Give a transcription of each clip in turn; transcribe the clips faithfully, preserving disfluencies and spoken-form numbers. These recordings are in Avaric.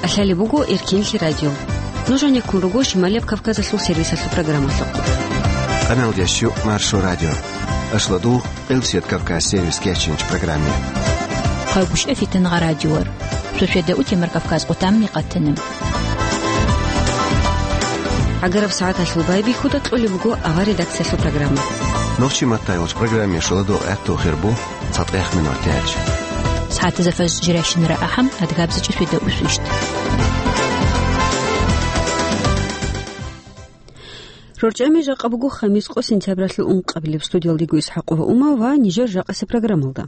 Алъали буго Эркенлъи радио. Нуж гьанеккун руго Шималияб Кавказалъул сервисалъул программалъухъ. Къаналдеш щу Маршо радио. Ашлодугъ Элсет Кавказ сервис кечинч программе. Хъагушев Фитнагъа радиор. Суседа утемар Кавказ къутамни къатанем. ГӀагараб сагӀаталъул байбихьуда кьолеб буго авар редакциялъул программа. Нохчи маттайолч программе шуладо гӀатту хирбу цатӀех минор тяч. СагӀатазафаз жиращинара ахӀам адгабзачӀи суседа усвищт. РорчӀами жакъа буго хамис къо сентябралъул ункъабилеб. Студиялдего Исхакъова Ума ва нижер жакъасе программалда.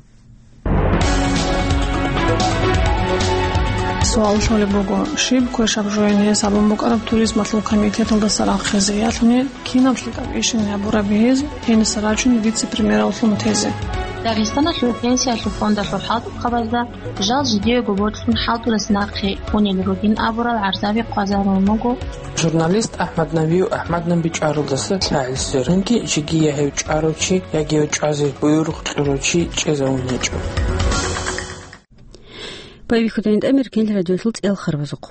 Суал щолеб буго, щиб квешаб жояни гьесабун букӀараб туризмалъул комитеталдаса рахъизе, ялъуни кинаб лъикӀаб ишин гьабураб гьез гьениса рачун вице-премьераллъун тезе? Дагъистаналъул пенсиялъул фондалъул хӀалтӀухъабазда жал жидеего борцун хӀалтӀулес нахъе унел ругин абурал гӀарзаби хъвазарун буго. Журналист АхӀмад Навиев АхӀмаднан бичӀчӀаралдаса лъагӀел сверунги жеги я гьев чӀарав чи, яги гьев чӀвазе буюрухъ кьурав чи чӀезавун гьечӀо. Байбихьуда гьинтӀамир кенлъи радиолъул цӀел харбазухъ.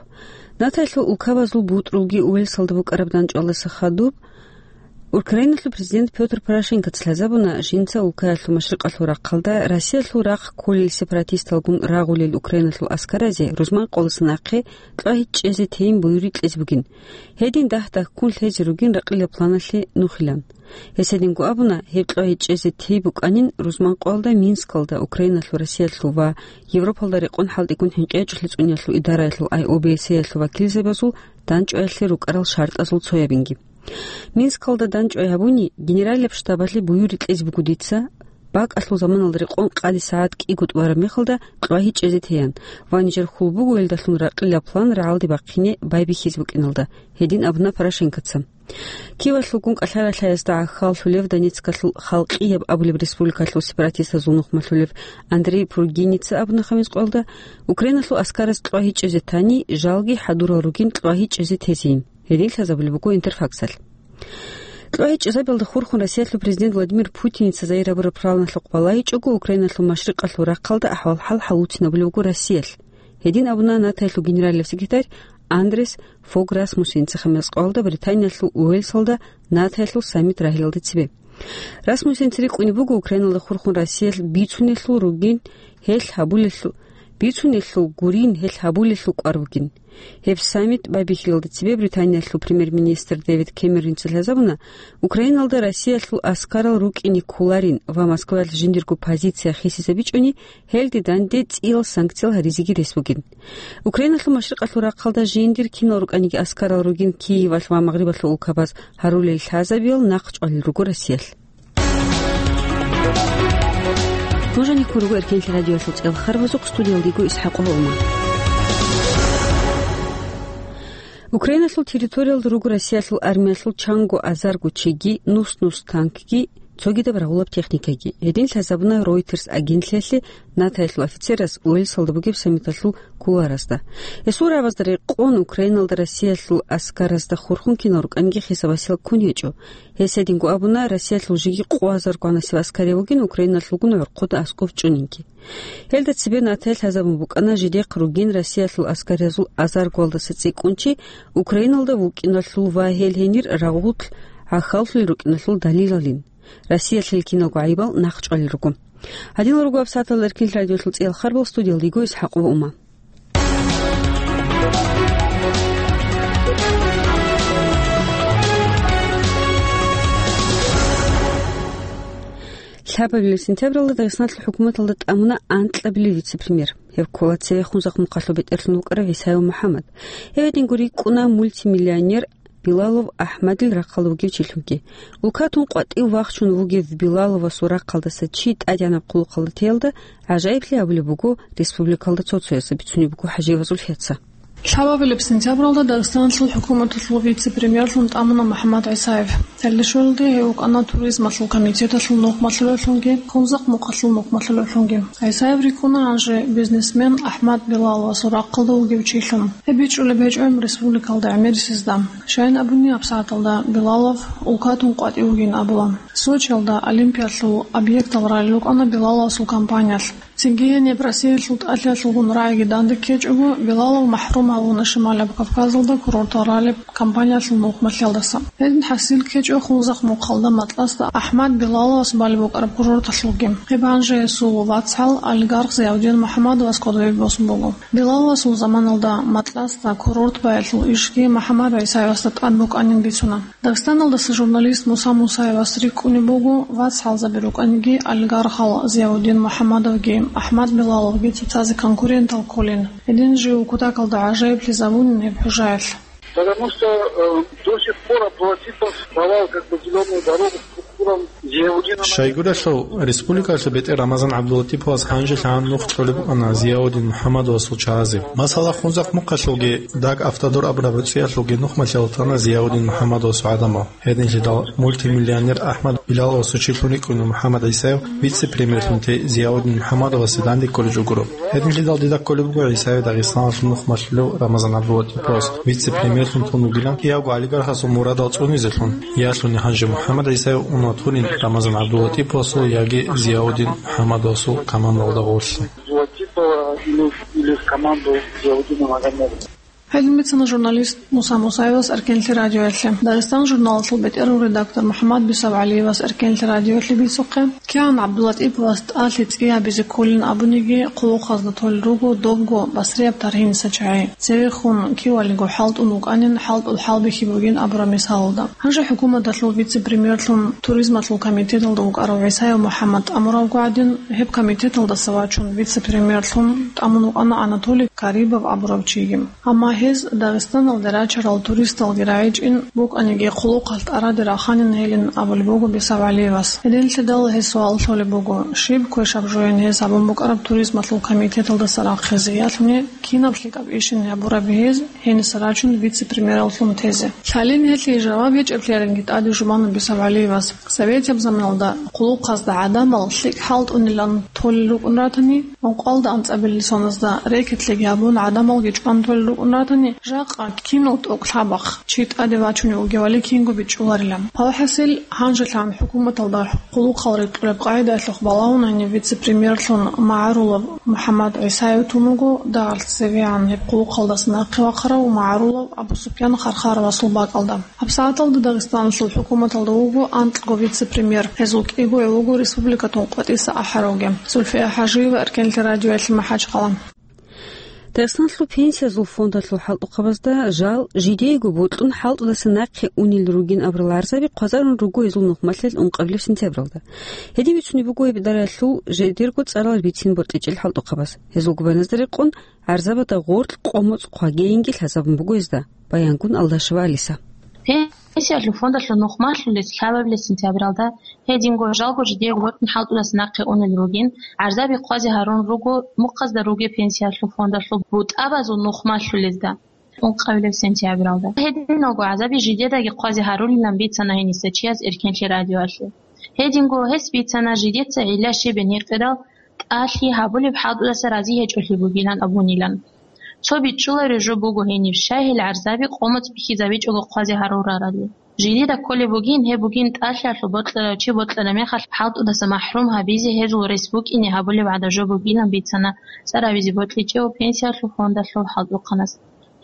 НАТОялъул улкабазул бутӀрулги Уэльсалда букӀараб дандчӀвалдаса хадуб, Украиналъул президент Пётр Порошенкоца лъазабуна, жинца улкаялъул машрикъалъул рахъалда Россиялъул рахъ кколел сепаратисталгун рагъулел Украиналъул аскаразе рузман къоласа нахъе кьвагьи чӀезе тейин буюри кьезе бугин. Гьедин дагь-дагьккун лъезе ругин ракъилаб планалъе нухилан. Гьес гьединго абуна, гьеб кьвагьи чӀезе тей букӀанин рузман къоялда Минскалда Украиналъул, Россиялъул ва Европалда рекъон хӀалтӀигун хӀинкъи гьечӀолъи цӀуниялъул идараялъул ай о бэ се-ялъул вакилзабазул дандчӀваялъе рукӀарал шартӀазул цоябинги. Минскалда дандчӀвай гьабуни, генералияб штабалъе буюри кьезе буго дица, бакӀалъул заманалда рекъон къаде сагӀат кӀиго тӀубараб мехалда кьвагьи чӀезе тейин ва нижер хьул буго гьелдалъун ракъилаб план рагӀалде бахъине байбихьизе букӀиналда, гьедин абуна Порошенкоца. Киевалъулгун кӀалъара-лъаясда гӀахьаллъулев Донецкалъул Халкъияб абулеб республикалъул сепаратистазул нухмалъулев Андрей Пургиница абуна хамис къоялда, Украиналъул аскараз кьвагьи чӀезе тани, жалги хӀадурал ругин кьвагьи чӀезе тезейин. Гьедин лъазабулеб буго Интерфаксалъ. Кьвагьи чӀезабиялда хурхун Россиялъул президент Владимир Путиница загьир гьабураб планалъухъ балагьичӀого, Украиналъул машрикъалъул рахъалда ахӀвал-хӀал хӀалуцинабулеб буго Россиялъ. Гьедин абуна НАТОялъул генералияб секретарь Андрес Фог Расмуссенца хамис къоялда Британиялъул Уэльсалда НАТОялъул саммит рагьиялда цебе. Расмуссенца рикӀкӀунеб буго Украиналда хурхун Россиялъ бицунелъул ругин гьелъ гьабулелъул, бицунелъул гурин гьелъ гьабулелъул кӀвар бугин. Гьеб саммит байбихьиялда цебе Британиялъул премьер-министр Дэвид Кэмеронца лъазабуна, Украиналда Россиялъул аскарал рукӀине кколарин ва Москваялъ жиндирго позиция хисизабичӀони, гьелде данде цӀиял санкциял гьаризеги рес бугин. Украиналъул машрикъалъул рахъалда жиндир кинал рукӀаниги аскарал ругин Киевалъ ва Магърибалъул улкабаз гьарулел лъазабиял нахъчӀвалел руго Россиялъ. Нуж гьанеккун руго Эркенлъи радиоялъул цӀел харбазухъ, студиялда йиго Исхакъова Ума. Украиналъул территориялда руго Россиялъул армиялъул чанго азарго чиги, нус-нус танкги, цогидаб рагъулаб техникаги. Гьедин лъазабуна Reuters агентлъиялъе НАТОялъул офицерас Уэльсалда бугеб саммиталъул кулуаразда. Гьесул рагӀабазда рекъон Украиналда Россиялъул аскаразда хурхун кинал рукӀаниги хисабасел ккун гьечӀо. Гьес гьединго абуна, Россиялъул жеги къо азар гванасеб аскарияв вугин Украиналъулгун гӀорхъуда аскӀов чӀунинги. Гьелда цебе НАТОялъ лъазабун букӀана жидехъ ругин Россиялъул аскариязул азар гвалдаса цӀикӀкӀун чи Украиналда вукӀиналъул ва гьел гьенир рагъулъ гӀахьаллъулел рукӀиналъул далилалин. Россиялъ гьел киналго гӀайибал нахъчӀвалел руго. Гьадинал руго гьабсагӀаталда Эркенлъи радиоялъул цӀиял харбал, студиялда йиго Исхакъова Ума. Лъабабилеб сентябралда Дагъистаналъул хӀукуматалда тӀамуна анкьабилеб вице-премьер. Гьев ккола цевехун Захъмухъалъул бетӀерлъун вукӀарав ГӀисаев МухӀаммад. Гьев гьединго рикӀкӀуна мультимиллионер Билалов АхӀмадил рахъалда вугев чилъунги. Улкатун къватӀив вахчун вугев Билаловасул рахъалдаса чи тӀадегӀанаб хъулухъалда теялда гӀажаиблъи гьабулеб буго республикалда цо-цоясда, бицунеб буго ХӀажиевазул ХӀеца. Лъабабилеб сентябралда Дагъистаналъул хӀукуматалъул вице-премьерлъун тӀамуна МухӀаммад ГӀисаев. Гьелде щвелалде гьев вукӀана туризмалъул комитеталъул нухмалъулевлъунги, Хунзахъ мухъалъул нухмалъулевлъунги. ГӀисаев рикӀкӀуна гьанже бизнесмен АхӀмад Билаловасул рахъалда вугев чилъун. Гьеб бичӀчӀулеб гьечӀо гьеб республикалда гӀемерисезда. Щайин абуни, гьабсагӀаталда Билалов улкатун къватӀив вугин абула. Сочиялда Олимпиялъул объектал ралел рукӀана Билаловасул компаниялъ. Цинги гьениб Россиялъул тӀалъиялъулгун рагӀиги данде ккечӀого, Билалов махӀрум гьавуна Шималаб Кавказалда курортал ралеб компаниялъул нухмалъиялдаса. Гьедин хӀасил ккечӀо Хунзахъ мухъалда Матласда АхӀмад Билаловас балеб букӀараб курорталъулги. Гьеб гьанже гьесул вацгӀал олигарх Зиявдин МухӀаммадовас кодобе босун буго. Билаловасул заманалда Матласда курорт баялъул ишги МухӀаммад ГӀисаевасда тӀад букӀанин бицуна. Дагъистаналдаса журналист Муса Мусаевас рикӀкӀунеб буго, вацгӀалзаби рукӀаниги, олигархал Зиявудин МухӀаммадовги АхӀмад Билаловги цоцазе конкурентал кколин. Гьедин жив кутакалда гӀажаиблъизабунин гьеб хӀужаялъ. Потому что, э, до сих пор Абдулатипов давал как бы зелёную дорогу структурам Зиявудина. Щайгурелъул, республикалъул бетӀер Рамазан ГӀабдулатиповас гьанжелъагӀан нух кьолеб букӀана Зиявудин МухӀаммадовасул чагӀазе. Масала, Хунзахъ мухъалъулги Даг Автодор абураб гӀуцӀиялъулги нухмалъиялда тана Зиявудин МухӀаммадовасул гӀадамал. Гьединлъидал мультимиллионер АхӀмад Билаловасул чилъун рикӀкӀуна МухӀаммад ГӀисаев вице-премьерлъун те Зиявудин МухӀаммадовасе данде кколеб жо гуро. Гьединлъидал дида кколеб буго ГӀисаев Дагъистаналъул нухмалъулев Рамазан ГӀабдулатиповас вице-премьерлъун тун вугилан, яги олигархасул мурадал цӀунизелъун, ялъуни гьанже МухӀаммад ГӀисаев ун ватурин Рамазан ГӀабдулатиповасул яги Зиявудин МухӀаммадовасул командалда гъорлъе. Абдулатипова или, или в команду Зиявудина Магомедова. Гьедин бицана журналист Муса Мусаевас Эркенлъи радиоялъе. Дагъистан журналалъул бетӀерул редактор МухӀаммад Бисавгьалиевас Эркенлъи радиоялъе бицухъе, кигӀан ГӀабдулатиповас тӀалъи цӀи гьабизе кколин абуниги, хъулухъазда толел руго добго басрияб таргьиниса чагӀи. Цевехун кивалиго хӀалтӀун вукӀанин, хӀалтӀул хӀалбихьи бугин абураб мисалалда. Гьанже хӀукуматалъул вице-премьерлъун туризмалъул комитеталда вукӀарав ГӀисаев МухӀаммад тӀамуравго гӀадин, гьеб комитеталдаса вачун вице-премьерлъун тӀамун вукӀана Анатолий Карибов абурав чиги. Амма гьез Дагъистаналде рачарал туристалги рагӀичӀин букӀаниги, хъулухъалъ тӀараде раханин гьелин абулеб буго Бисавгьалиевас. Гьединлъидал гьес суал лъолеб буго, щиб квешаб жоян гьез гьабун букӀараб туризмалъул комитеталдаса рахъизе, ялъуни кинаб лъикӀаб ишин гьабураб гьез гьениса рачун вице-премьераллъун тезе. Лъалин гьелъие жаваб гьечӀеблъиялинги тӀаде жубана Бисавгьалиевас. Советияб заманалда хъулухъазда гӀадамал лъикӀ хӀалтӀунилан толел рукӀун ратани, ункъоялда анцӀабилеб соназда рекетлъиги гьабун гӀадамалги чӀван толел рукӀун ратани, жакъа кинал тӀокӀ лъабахъ чи тӀаде вачунев вугевали кинго бичӀчӀуларила. Гьалхасил, гьанжелъан хӀукуматалда хъулухъал рекьулеб къагӀидаялъухъ балагьун гьанив вице-премьерлъун магӀарулав МухӀаммад ГӀисаев тун вуго, дагьалъ цевегӀан гьеб хъулухъалдаса нахъе вахъарав магӀарулав Абу-Супьян Хархаровасул бакӀалда. ГьабсагӀаталда Дагъистаналъул хӀукуматалда вуго анкьго вице-премьер. Гьезул кӀиго гӀев вуго республикатун къватӀиса ахӀаравги. Зульфия ХӀажиева Эркенлъи радиоялъе МахӀачхъала. Дагъистаналъул пенсиязул фондалъул хӀалтӀухъабазда жал жидеего бокьун хӀалтӀудаса нахъе унел ругин абурал гӀарзаби хъвазарун руго гьезул нухмалъил ункъабилеб сентябралда. Гьедин бицунеб буго гьеб дараялъул жидерго цӀарал бицин бортӀичӀел хӀалтӀухъабаз. Гьезул губайназда рекъон гӀарзабазда гъоркь къо-моцӀ хъвагейинги лъазабун буго гьезда, баянгун Алдашева Алиса. Пенсиялъул фондалъул нухмалъулес лъабабилеб сентябралда гьединго жалго жидеего бокьун хӀалтӀудаса нахъе унел ругин, гӀарзаби хъвазе гьарун руго мухъазда ругеб пенсиялъул фондалъул бутӀабазул нухмалъулезда. Ункъабилеб сентябралда гьединго гӀарзаби жидедаги хъвазе гьарулилан бицана гьениса чияс Эркенлъи радиоялъе. Гьединго гьес бицана жидеца гӀилла щиб гьенекъерал тӀалъи гьабулеб хӀалтӀудаса рази гьечӀолъи бугилан абунилан. Цо бичӀчӀулареб жо буго гьениб, щай гьел гӀарзаби къо-моцӀ бихьизабичӀого хъвазе гьарурарали. Жидеда кколеб бугин, гьеб бугин тӀалъиялъул бокьарав чи бокьараб мехалъ хӀалтӀудаса махӀрум гьабизе гьезул рес букӀине гьабулеб гӀадаб жо бугилан бицана цӀар гьабизе бокьичӀев пенсиялъул фондалъул хӀалтӀухъанас.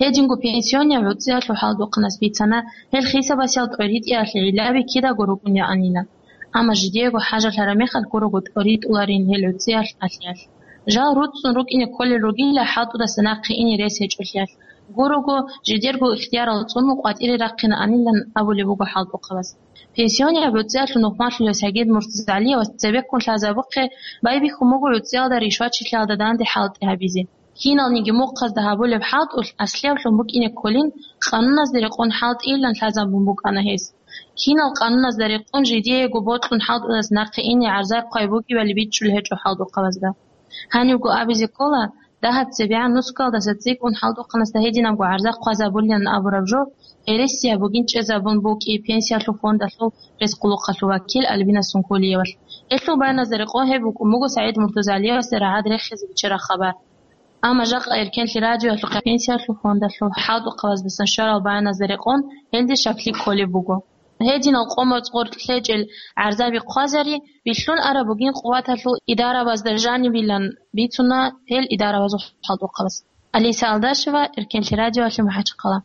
Гьединго пенсионияб гӀуцӀиялъул хӀалтӀухъанас бицана, гьел хисабасел тӀоритӀиялъе гӀиллаби кидаго рукӀунеанилан. Амма жидеего хӀажалъараб мехалъ гурого тӀоритӀуларин гьел гӀуцӀиялъ тӀалъиялъ. Жал руцӀцӀун рукӀине кколел ругила хӀалтӀудаса нахъе ине рес гьечӀолъиялъ. Гурого жидерго ихтиярал цӀунун къватӀире рахъинаанилан абулеб буго хӀалтӀухъабаз. Пенсионияб гӀуцӀиялъул нухмалъулев Сагид Муртазалиевас цебеккун лъазабухъе байбихьун буго гӀуцӀиялда ришвачилъиялда данде хӀалтӀи гьабизе. Киналниги мухъазда гьабулеб хӀалтӀулъ аслияб лъун букӀине кколин, къануназда рекъон хӀалтӀийилан лъазабун букӀана гьес. Кинал къануназда рекъон жидеего бокьун хӀалтӀудаса нахъе ине гӀарза хъвай бугебали бичӀчӀулеб гьечӀо хӀалтӀухъабазда. Гьанивго абизе ккола, дагьаб цебегӀан нусгоялдаса цӀикӀкӀун хӀалтӀухъанасда гьединабго гӀарза хъвазабулилан абураб жо гьересияб бугин чӀезабун букӀи пенсиялъул фондалъул рес-хъулухъалъул вакил Альбина Сункулиевалъ. Гьелъул баяназда рекъон гьеб букӀун буго СагӀид Муртазалиевасда рагӀад рехизе биччараб хабар. Амма жакъа Эркенлъи радиоялъухъе пенсиялъул фондалъул хӀалтӀухъабаздасан щварал баяназда рекъон гьелде щаклъи кколеб буго. Гьединал къо-моцӀ гъоркь лъечӀел гӀарзаби хъвазари вилълъун араб бугин къуваталъул идарабазда жанибилан бицуна гьел идарабазул хӀалтӀухъабаз. Алиса Алдашева, Эркенлъи радиоялъе МахӀачхъала.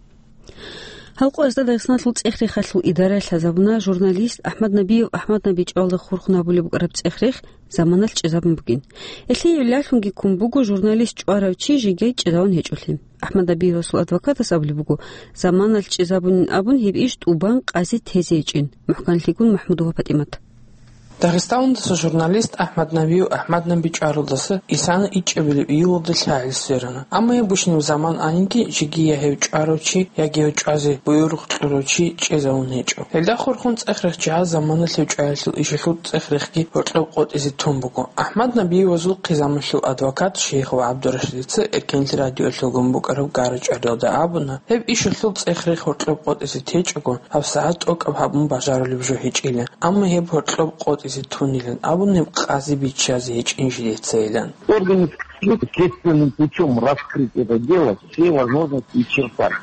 Гьал къоязда Дагъистаналъул цӀех-рехалъул идара лъазабуна журналист АхӀмад Набиев АхӀмад НабичӀвалда хурхун гьабулеб букӀараб цӀех-рех заманалъ чӀезабун бугин. Гьелъие гӀиллалъунги ккун буго журналист чӀварав чи жеги чӀезавун гьечӀолъи. АхӀмад Набиевасул адвокатас абулеб буго, заманалъ чӀезабунин абун гьеб иш тӀубан къази тезе гьечӀин. МухӀканлъигун МахӀмудова ПатӀимат. Дагъистаналдаса журналист АхӀмад Набиев АхӀмад НабичӀвалдаса исана ичӀабилеб июлалда лъагӀел сверана. Амма гьеб гущинаб заман анинги, жеги я гьев чӀварав чи, яги гьев чӀвазе буюрухъ кьурав чи чӀезавун гьечӀо. Гьелда хурхун цӀех-рехчияз заманалъ гьев чӀваялъул ишалъул цӀех-рехги гьоркьоб къотӀизе тун буго. АхӀмад Набиевасул хъизамалъул адвокат Шейхов ГӀабдурашидица Эркенлъи радиоялъулгун букӀараб гара-чӀвариялда абуна, гьеб ишалъул цӀех-рех гьоркьоб къотӀизе течӀого, гьабсагӀат тӀокӀаб гьабун бажарулеб жо гьечӀила, амма гьеб гьоркьоб къотӀизе тунилан абун гьеб къази биччазе гьечӀин жидецайилан. Органы следственным путём раскрыть это дело, все возможности исчерпать.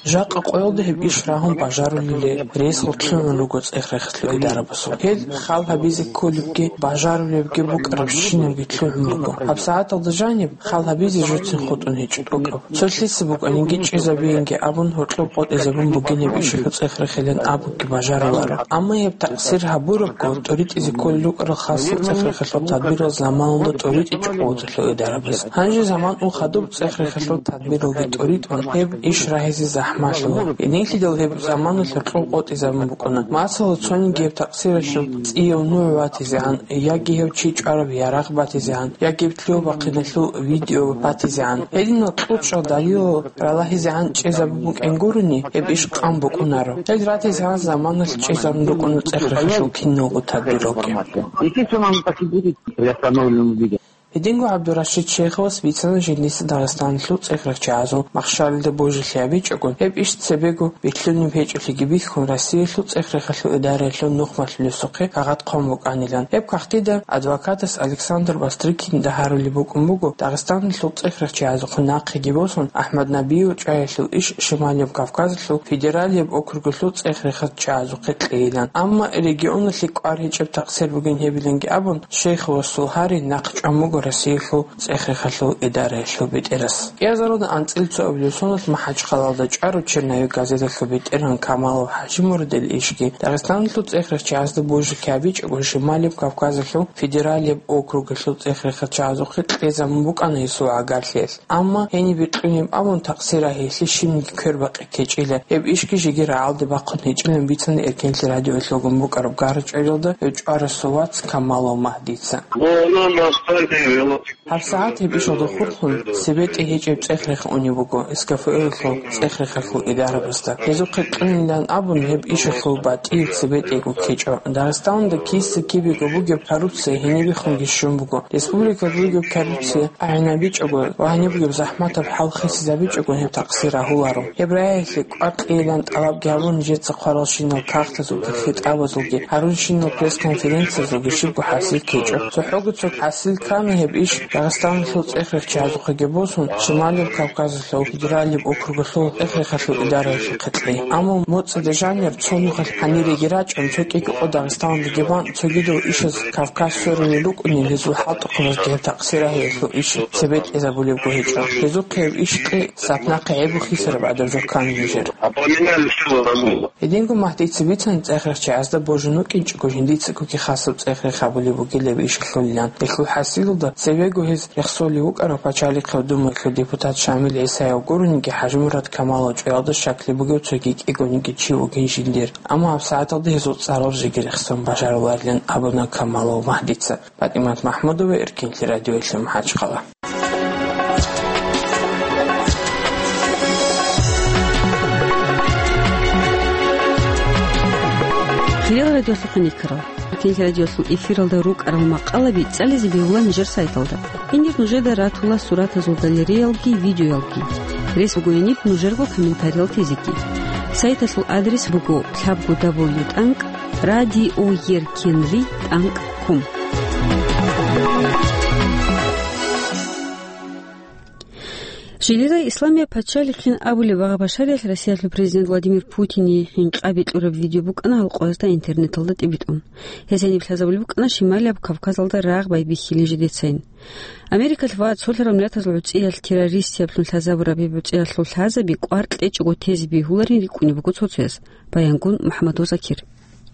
Жакъа къоялда гьеб иш рагьун бажарулел рес гьоркьун руго цӀех-рехалъул идарабазул. Гьел хал гьабизе кколебги, бажарулебги букӀарабщинабги лъугӀун руго. ГьабсагӀаталда жаниб хал гьабизе жоцин хутӀун гьечӀо тӀокӀаб. Цо лъица букӀанинги чӀезабейинги абун, гьоркьоб къотӀизабун бугин гьеб ишалъул цӀех-рехилан абуги бажаруларо. Амма гьеб такъсир гьабурабго, тӀоритӀизе кколел рукӀарал хасаб цӀех-рехалъул тадбирал заманалда тӀоритӀичӀо къуваталъул идарабаз. Гьанже заман ун хадуб цӀех-рехалъул тадбиралги тӀоритӀун, гьеб иш рагьизе захӀмалъула. Гьединлъидал гьеб заманалъ гьоркьоб къотӀизабун букӀуна. Масала, цониги гьеб такъсиралъул цӀияв нугӀ ватизегӀан, яги гьев чи чӀвараб ярагъ батизегӀан, яги гьеб лъугьа-бахъиналъул видео батизегӀан. Гьединал кьучӀал далилал ралагьизегӀан чӀезабун букӀин гурони, гьеб иш къан букӀунаро. Гьел ратизегӀан заманалъ чӀезабун рукӀуна цӀех-рехалъул киналго тадбиралги. Естественно, оно так и будет приостановлено двигаться. Гьединго ГӀабдурашид Шейховас бицана жиндица Дагъистаналъул цӀех-рехчиясул махщалида божилъи гьабичӀого, гьеб иш цебего бихьунеб гьечӀолъиги бихьун, Россиялъул цӀех-рехалъул идараялъул нухмалъулесухъе кагъат хъван букӀанилан. Гьеб кагътида адвокатас Александр Бастрыкин дагьарулеб букӀун буго, Дагъистаналъул цӀех-рехчиязухъе нахъеги босун, АхӀмад Набиев чӀваялъул иш Шималияб Кавказалъул федералияб округалъул цӀех-рехчиязухъе кьейилан. Амма регионалъе кӀвар гьечӀеб такъсир бугин гьебиланги абун, Шейховасул гьари нахъ чӀван буго Россиялъул цӀех-рехалъул идараялъул бетӀерас. Кьиазаруда анцӀила цоабилеб соналъ МахӀачхъалалда чӀварав «Черновик» газеталъул бетӀергьан Камалов ХӀажимурадил ишги, Дагъистаналъул цӀех-рехчиязда божилъи гьабичӀого, Шималияб Кавказалъул федералияб округалъул цӀех-рехалъул чагӀазухъе кьезабун букӀана гьесул гӀагарлъиялъ. Амма гьениб бикьунеб абун такъсир рагьиялъе щибниги квербакъи ккечӀила, гьеб ишги жеги рагӀалде бахъун гьечӀилан бицана Эркенлъи радиоялъулгун букӀараб гара-чӀвариялда гьев чӀварасул вац Камалов Магьдица. ГьабсагӀат гьеб ишалда хурхун, цебетӀе гьечӀеб цӀех-рех унеб буго СКФО-ялъул цӀех-рехалъул идарабазда. Гьезухъе кьунилан абун, гьеб ишалъул батӀиял цебетӀего ккечӀо. Дагъистаналда киса-кибего бугеб коррупция гьенибехунги щун буго. Республикаялда бугеб коррупция агӀинабичӀого ва гьаниб бугеб захӀматаб хӀал хисизабичӀого гьеб такъсир рагьуларо. Гьеб рагьиялъе кӀвар кьейилан тӀалабги гьабун, нижеца хъваралщинал кагътазулги, хитӀабазулги, гьарулщинал пресс-конференциязулги щибго хӀасил ккечӀо. ЦохӀого цо хӀасил ккана гьеб иш Дагъистаналъул цӀех-рехчиязухъеги босун, Шималияб Кавказалъул федералияб округалъул цӀех-рехалъул идараялъухъе кьей. Амма моцӀида жанир цо нухалъ гьаниреги рачӀун, цо кӀиго къо Дагъистаналдаги бан, цогидал ишаз Кавказ сверулел рукӀунел гьезул хӀалтӀухъабазги гьеб такъсир рагьиялъул иш цебетӀезабулебго гьечӀо. Гьезухъе гьеб иш кьей сапнахъе гӀеб бухьисараб гӀадаб жо ккана нижер. Гьединго Магьдица бицана, цӀех-рехчиязда божун вукӀинчӀого жиндицагоги хасаб цӀех-рех гьабулеб бугилан иш лъолилан. Гьелъул хӀасилалда цебего гьез рехсолев вукӀарав Пачалихъе Думаялъул депутат Шамил ГӀисаев гурониги, ХӀажимурад Камалов чӀваялда щаклъи бугев цоги кӀигониги чи вугин жиндир. Амма гьабсагӀаталда гьезул цӀарал жеги рехсон бажаруларилан абуна Камалов Магьдица. ПатӀимат МахӀмудова, Эркенлъи радиоялъе МахӀачхъала. Хириял радиолъухъ никарал. Эркенлъи радиолъул эфиралда рукӀарал макъалаби цӀализе бегьула нижер сайталда. Гьенир нужеда ратула суратазул галереялги, видеоялги. Рес бугояниб нужерго комментариял тезеги. Сайталъул адрес буго лъабго дабл ю тӀанкӀ радиоеркенлъи тӀанкӀ ком. Жидеда Исламия пачалихъин абулеб багъа-башариялъ Россиялъул президент Владимир Путине хӀинкъаби кьураб видео букӀана гьалкъоязда интернеталда тӀибитӀун. Гьес гьениб лъазабулеб букӀана Шималияб Кавказалда рагъ байбихьилин жидецайин. Америкалъ ва цолъарал миллатазул гӀуцӀиялъ террористияблъун лъазабураб гьеб гӀуцӀиялъул лъазаби кӀвар кьечӀого тезе бегьуларин рикӀкӀунеб буго цо-цояс. Баянгун МухӀаммадов Закир.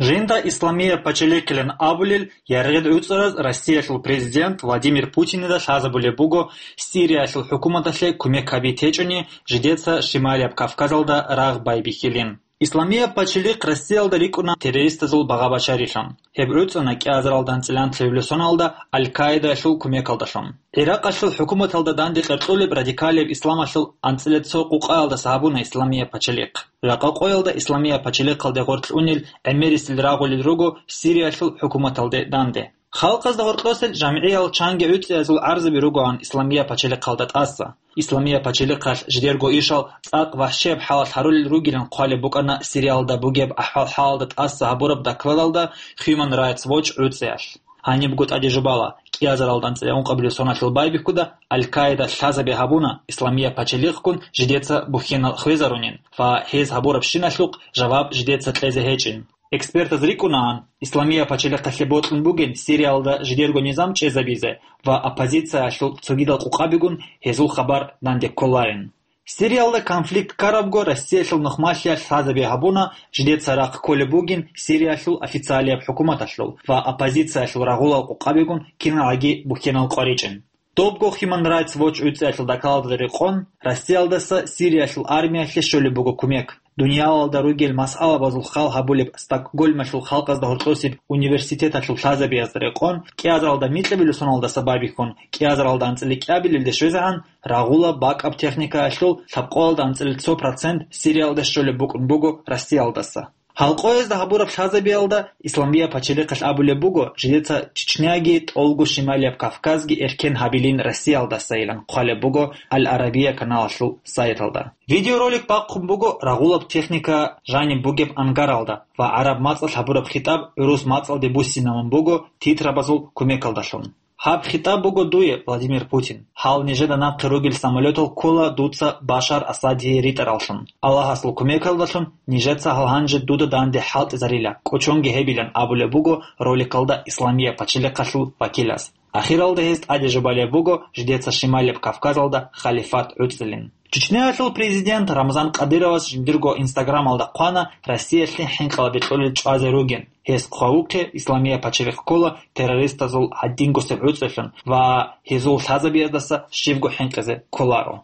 Жинда Исламия пачалихъилан абулел яргъил гӀуцӀараз Россиялъул президент Владимир Путинида лъазабулеб буго Сириялъул хӀукуматалъе кумек гьаби течӀони, жидеца Шималияб Кавказалда рагъ байбихьилин. Исламия пачалихъ Россиялда рикӀкӀуна террористазул багъа-башарилъун. Гьеб гӀуцӀана кӀиазаралда анцӀила анлъабилеб соназда Аль-Каидаялъул кумекалдалъун. Иракъалъул хӀукуматалда данде къеркьулеб радикалияб исламалъул анцӀила цо къукъаялдаса гьабуна Исламия пачалихъ. Жакъа къоялда Исламия пачалихъалде гъорлъ унел гӀемерисел рагъулел руго Сириялъул хӀукуматалде данде. Халкъазда гьоркьосел жамгӀиял чанги гӀуцӀиязул гӀарзаби ругоан Исламия пачалихъалда тӀаса. Исламия пачалихъалъ жидерго ишал цӀакъ вахӀшияб хӀалалъ гьарулел ругилан хъвалеб букӀана Сириялда бугеб ахӀвал-хӀалалда тӀаса гьабураб докладалда Human Rights Watch гӀуцӀиялъ. Гьанибго тӀаде жубала, кӀиазаралда анцӀила ункъабилеб соналъул байбихьуда Аль-Каида лъазаби гьабуна Исламия пачалихъгун жидеца бухьенал хвезарунин ва гьез гьабурабщиналъухъ жаваб жидеца кьезе гьечӀин. Экспертаз рикӀкӀунаан, Исламия пачалихъалъе бокьун бугин Сириялда жидерго низам чӀезабизе ва оппозициялъул цогидал къукъабигун гьезул хабар данде кколарин. Сириялда конфликт ккарабго Россиялъул нухмалъиялъ лъазаби гьабуна, жидеца рахъ кколеб бугин Сириялъул официалияб хӀукуматалъул ва оппозициялъул рагъулал къукъабигун киналги бухьенал къваричӀин. Добго Human Rights Watch гӀуцӀиялъул докладалда рекъон, Россиялдаса Сириялъул армиялъе щолеб буго кумек. Дуниялалда ругел масъалабазул хал гьабулеб Стокгольмалъул халкъазда гьоркьосеб университеталъул лъазабиязда рекъон, кӀиазаралда микьабилеб соналдаса байбихьун, кӀиазаралда анцӀила кӀиабилелде щвезегӀан, рагъула бакӀаб техникаялъул лъабкъоялда анцӀила цо процент Сириялда щолеб букӀун буго Россиялдаса. Гьалкъоязда гьабураб лъазабиялда Исламия пачалихъалъ абулеб буго, жидеца Чечняги тӀолго Шималияб Кавказги эркен гьабилин Россиялдасайилан хъвалеб буго Аль-Арабия каналалъул сайталда. Видеоролик бахъун буго рагъулаб техника жаниб бугеб ангаралда ва гӀараб мацӀалъ гьабураб хитӀаб гӀурус мацӀалде буссинабун буго титрабазул кумекалдалъун. Гьаб хитӀаб буго дуе, Владимир Путин. Гьал нижеда нахъе ругел самолетал ккола дуца Башар Асадие ритӀараллъун. Аллагьасул кумекалдалъун нижеца гьал гьанже дуда данде хӀалтӀизарила, кӀочонги гьебилан абулеб буго роликалда Исламия пачалихъалъул вакилас. Ахиралда гьез тӀаде жубалеб буго жидеца Шималияб Кавказалда халифат гӀуцӀилин. Чечняялъул президент Рамзан Кадыровас жиндирго Инстаграмалда хъвана Россиялъе хӀинкъалаби кьолел чӀвазе ругин. Гьес хъвавухъе Исламия пачалихъ ккола террористазул гьадингосеб гӀуцӀилъун ва гьезул лъазабияздаса щибго хӀинкъизе кколаро.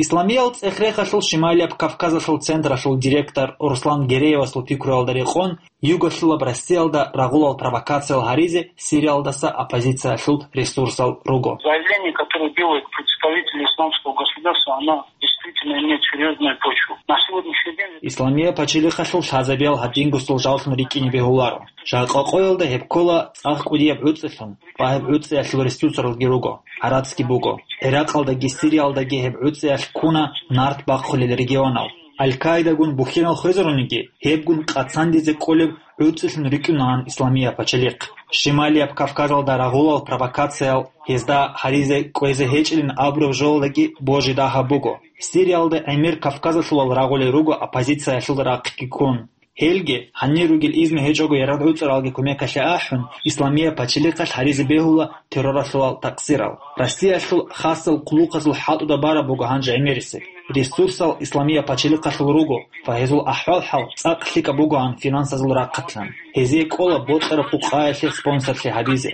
Исламиял цӀех-рехалъул Шималияб Кавказалъул централъул директор Руслан Гереевасул пикруялда рекъон, югалъулаб Россиялда рагъулал провокациял гьаризе Сириялдаса оппозициялъул ресурсал руго. Заявление, которое делает представитель исламского государства, оно действительно имеет серьезную почву. На сегодняшний день Исламия пачалихъалъул лъазабиял гьадингосул жаллъун рикӀкӀине бегьуларо. Жакъа къоялда гьеб ккола цӀакъ кӀудияб гӀуцӀилъун ва гьеб гӀуцӀиялъул ресурсалги руго, гӀарацги буго. ГӀиракъалдаги Сириялдаги гьеб гӀуцӀиялъ ккуна нарт бахъулел регионал. Аль-Каидагун бухьенал хвезаруниги, гьебгун къацандизе кӀолеб гӀуцӀилъун рикӀкӀунаан Исламия пачалихъ. Шималияб Кавказалда рагъулал провокациял гьезда гьаризе кӀвезе гьечӀилин абураб жоялдаги божи дагьаб буго. Сириялда гӀемер Кавказалъулал рагъулел руго оппозициялъул рахъги ккун. Гьелги, гьанир ругел изну гьечӀого ярагъ гӀуцӀаралги кумекалъе ахӀун, Исламия пачалихъалъ гьаризе бегьула терроралъулал такъсирал. Россиялъул хасал хъулухъазул хӀалтӀуда бараб буго гьанже гӀемерисеб. Ресурсал Исламия пачалихъалъул руго ва гьезул ахӀвал-хӀал цӀакъ лъикӀаб бугоан финансазул рахъалъан. Гьезие кӀола бокьараб къукъаялъе спонсорлъи гьабизе.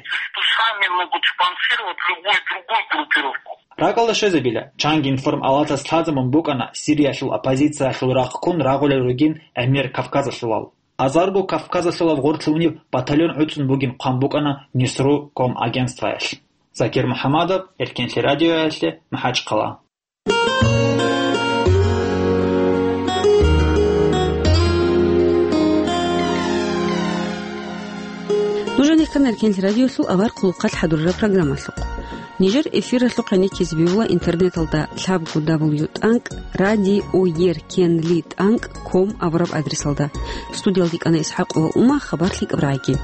Сами могут спонсировать любую другую группировку. РакӀалда щвезабила, чанги информалатас лъазабун букӀана Сириялъул оппозициялъул рахъ ккун рагъулел ругин гӀемер Кавказалъулал. Азарго Кавказалъулаб гъорлъ унеб батальон гӀуцӀун бугин хъван букӀана Нисру ком агентствоялъ. Закир МухӀаммадов, Эркенлъи радиоялъе, МахӀачхъала. Нуж гьанир ккана Эркенлъи радиолъул авар хъулухъалъ хӀадурараб программалъухъ. Нижер эфиралъухъ гӀенеккизе бегьула интернеталда лъабго дабл ю тӀанкӀ радиоеркенли тӀанкӀ ком абураб адресалда. Студиялда ккана ИсхӀакъова Ума, хабар лъикӀаб рагӀиги.